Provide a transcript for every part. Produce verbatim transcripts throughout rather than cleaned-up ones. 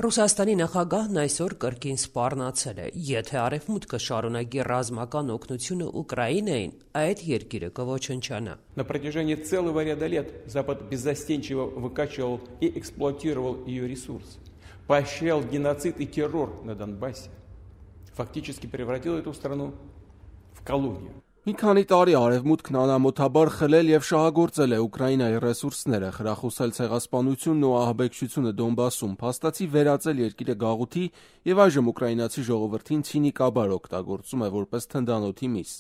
Ռուսաստանի նախագահն այսօր կրկին սպառնացել է. եթե Արևմուտքը շարունակի ռազմական օգնությունը Ուկրաինային, այդ երկիրը կոչնչանա։ На протяжении целого ряда лет Запад беззастенчиво выкачивал и эксплуатировал ее ресурсы, поощрял геноцид и террор на Донбассе, фактически превратил эту страну в колонию. Մի քանի տարի Արևմուտքն անամոթաբար խլել եւ շահագործել է Ուկրաինայի ռեսուրսները, խրախուսել ցեղասպանությունն ու ահաբեկչությունը Դոնբասում, փաստացի վերածել երկիրը գաղութի եւ այժմ ուկրաինացի ժողովրդին ցինիկաբար օգտագործում է որպես թնդանոթի միս։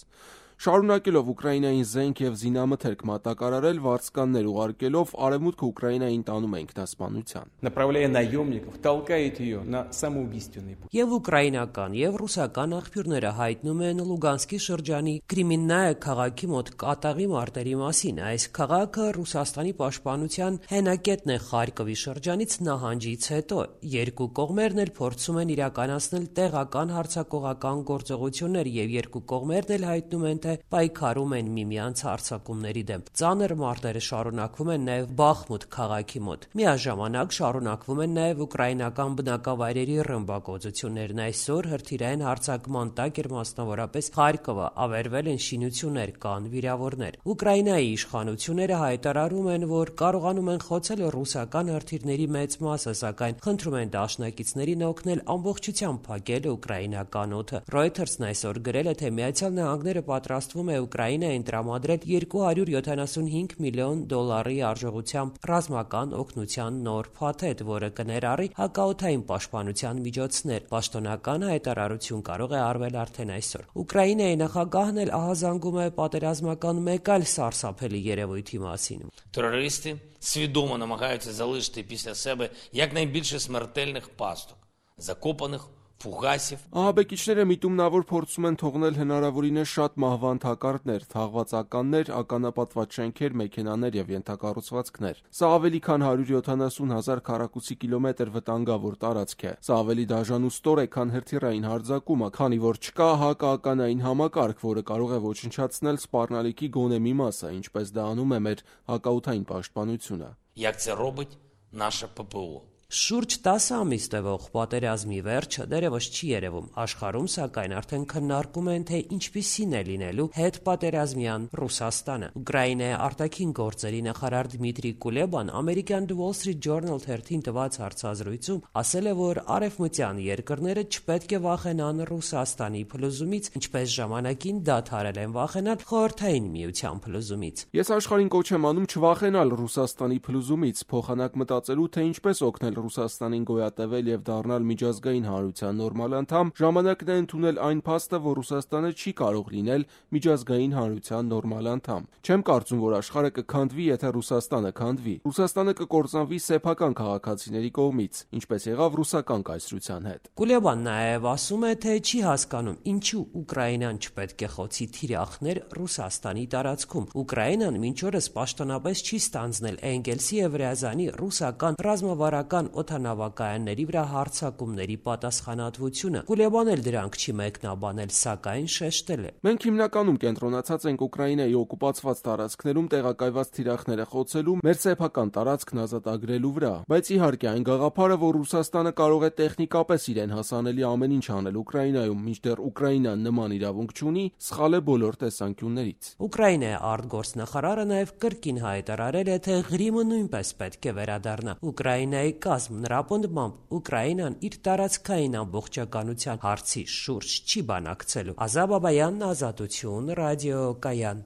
Շարունակելով Ուկրաինային զենք եւ զինամթերք մատակարարել, վարձկաններ ուղարկելով, Արևմուտքը Ուկրաինային տանում է ինքնասպանության։ Направляя наемников, толкает ее на самоубийственный путь. Եվ ուկրաինական եւ ռուսական աղբյուրները հայտնում են Լուգանսկի շրջանի Կրիմիննայե քաղաքի մոտ կատաղի մարտերի մասին։ Այս քաղաքը Ռուսաստանի պաշտպանության հենակետն է Խարկովի շրջանից նահանջից հետո։ Երկու կողմերն էլ փորձում են իրականացնել տեղական հարձակողական գործողություններ եւ երկու կողմերն էլ հայտնում են պայքարում են միմյանց հարձակումների դեմ։ Ծանր մարտերը շարունակվում են նաև Բախմուտ քաղաքի մոտ։ Միաժամանակ շարունակվում են նաև ուկրաինական բնակավայրերի ռմբակոծություններն։ Այսօր հրթիռային հարձակման տակ էր մասնավորապես Խարկովը, ավերվել են շինություններ, կան վիրավորներ։ Ուկրաինայի իշխանությունները հայտարարում են, որ կարողանում են խոցել ռուսական հրթիռների մեծ մասը, սակայն խնդրում են դաշնակիցներին օգնել ամբողջությամբ փակել ուկրաինական օդը։ Reuters-ն այսօր գրել է, թե Միացյալ Նահանգները պատրաստվում է Ուկրաինային տրամադրել երկու հարյուր յոթանասունհինգ միլիոն դոլարի արժողությամբ ռազմական օգնության նոր փաթեթ, որը կներառի հակաօդային պաշտպանության միջոցներ։ Պաշտոնական հայտարարություն կարող է արվել արդեն այսօր։ Ուկրաինայի նախագահն էլ ահազանգում է պատերազմական մեկ այլ սարսափելի երևույթի մասին։ Терористи свідомо намагаються залишити після себе якнайбільше смертельних пасток, закопаних Ֆուգասիվ Ահաբեկիչները միտումնավոր փորձում են թողնել հնարավորինս շատ մահվան թակարդներ, թաղված ականներ, ականապատված շենքեր, մեքենաներ եւ ենթակառուցվածքներ։ Սա ավելի քան հարյուր յոթանասուն հազար քառակուսի կիլոմետր վտանգավոր տարածք է։ Սա ավելի դաժան ու ստոր է, քան հրթիռային հարձակումը, քանի որ չկա հակաականային համակարգ, որը կարող է ոչնչացնել սպառնալիքի գոնե մի մասը, ինչպես դա անում է մեր հակաօդային պաշտպանությունը։ Як це робить наше ППО. Շուրջ տասը ամիս տևող պատերազմի վերջը դեռևս չի երևում։ Աշխարհում սակայն արդեն քննարկում են, թե ինչպիսին է լինելու հետպատերազմյան Ռուսաստանը։ Ուկրաինայի արտաքին գործերի նախարար Դմիտրի Կուլեբան ամերիկյան The Wall Street Journal թերթին տված հարցազրույցում ասել է, որ արևմտյան երկրները չպետք է վախենան Ռուսաստանի փլուզումից, ինչպես ժամանակին դադարել են վախենալ Խորհրդային Միության փլուզումից։ Ես աշխարհին կոչ եմ անում չվախենալ Ռուսաստանի փլուզումից, փոխանակ մտածելու, թե ինչպես օգնել Ռուսաստանին գոյատևել եւ դառնալ միջազգային հանրության նորմալ անդամ, ժամանակն է ընդունել այն փաստը, որ Ռուսաստանը չի կարող լինել միջազգային հանրության նորմալ անդամ։ Չեմ կարծում, որ աշխարհը կքանդվի, եթե Ռուսաստանը քանդվի։ Ռուսաստանը կկործանվի սեփական քաղաքացիների կողմից, ինչպես եղավ ռուսական կայսրության հետ։ Կուլեբան նաեւ ասում է, թե չի հասկանում, ինչու Ուկրաինան չպետք է խոցի թիրախներ Ռուսաստանի տարածքում։ Ուկրաինան մինչ օրս պաշտոնապես չի ստանձնել Էնգելսի եւ Ռեազանի ռուսական ռազմավարական օդանավակայանների վրա հարձակումների պատասխանատվությունը։ Կուլեբան էլ դրանք չի մեկնաբանել, սակայն շեշտել է. Մենք հիմնականում կենտրոնացած ենք Ուկրաինայի օկուպացված տարածքներում տեղակայված թիրախները խոցելու, մեր սեփական տարածքն ազատագրելու վրա, բայց իհարկե այն գաղափարը, որ Ռուսաստանը կարող է տեխնիկապես իրեն հասանելի ամեն ինչ անել Ուկրաինայում, մինչդեռ Ուկրաինան նման իրավունք չունի, սխալ է բոլոր տեսանկյուններից։ Ուկրաինայի արտգործնախարարը նաև կրկին հայտարարել է, թե Ղրիմը նույնպես պետք է վերադառնա Ուկրաինայի կազմ։ Նրա պնդմամբ Ուկրաինան իր տարածքային ամբողջականության հարցի շուրջ չի բանակցելու։ Ազա Բաբայանն, Ազատություն, ռադիոկայան։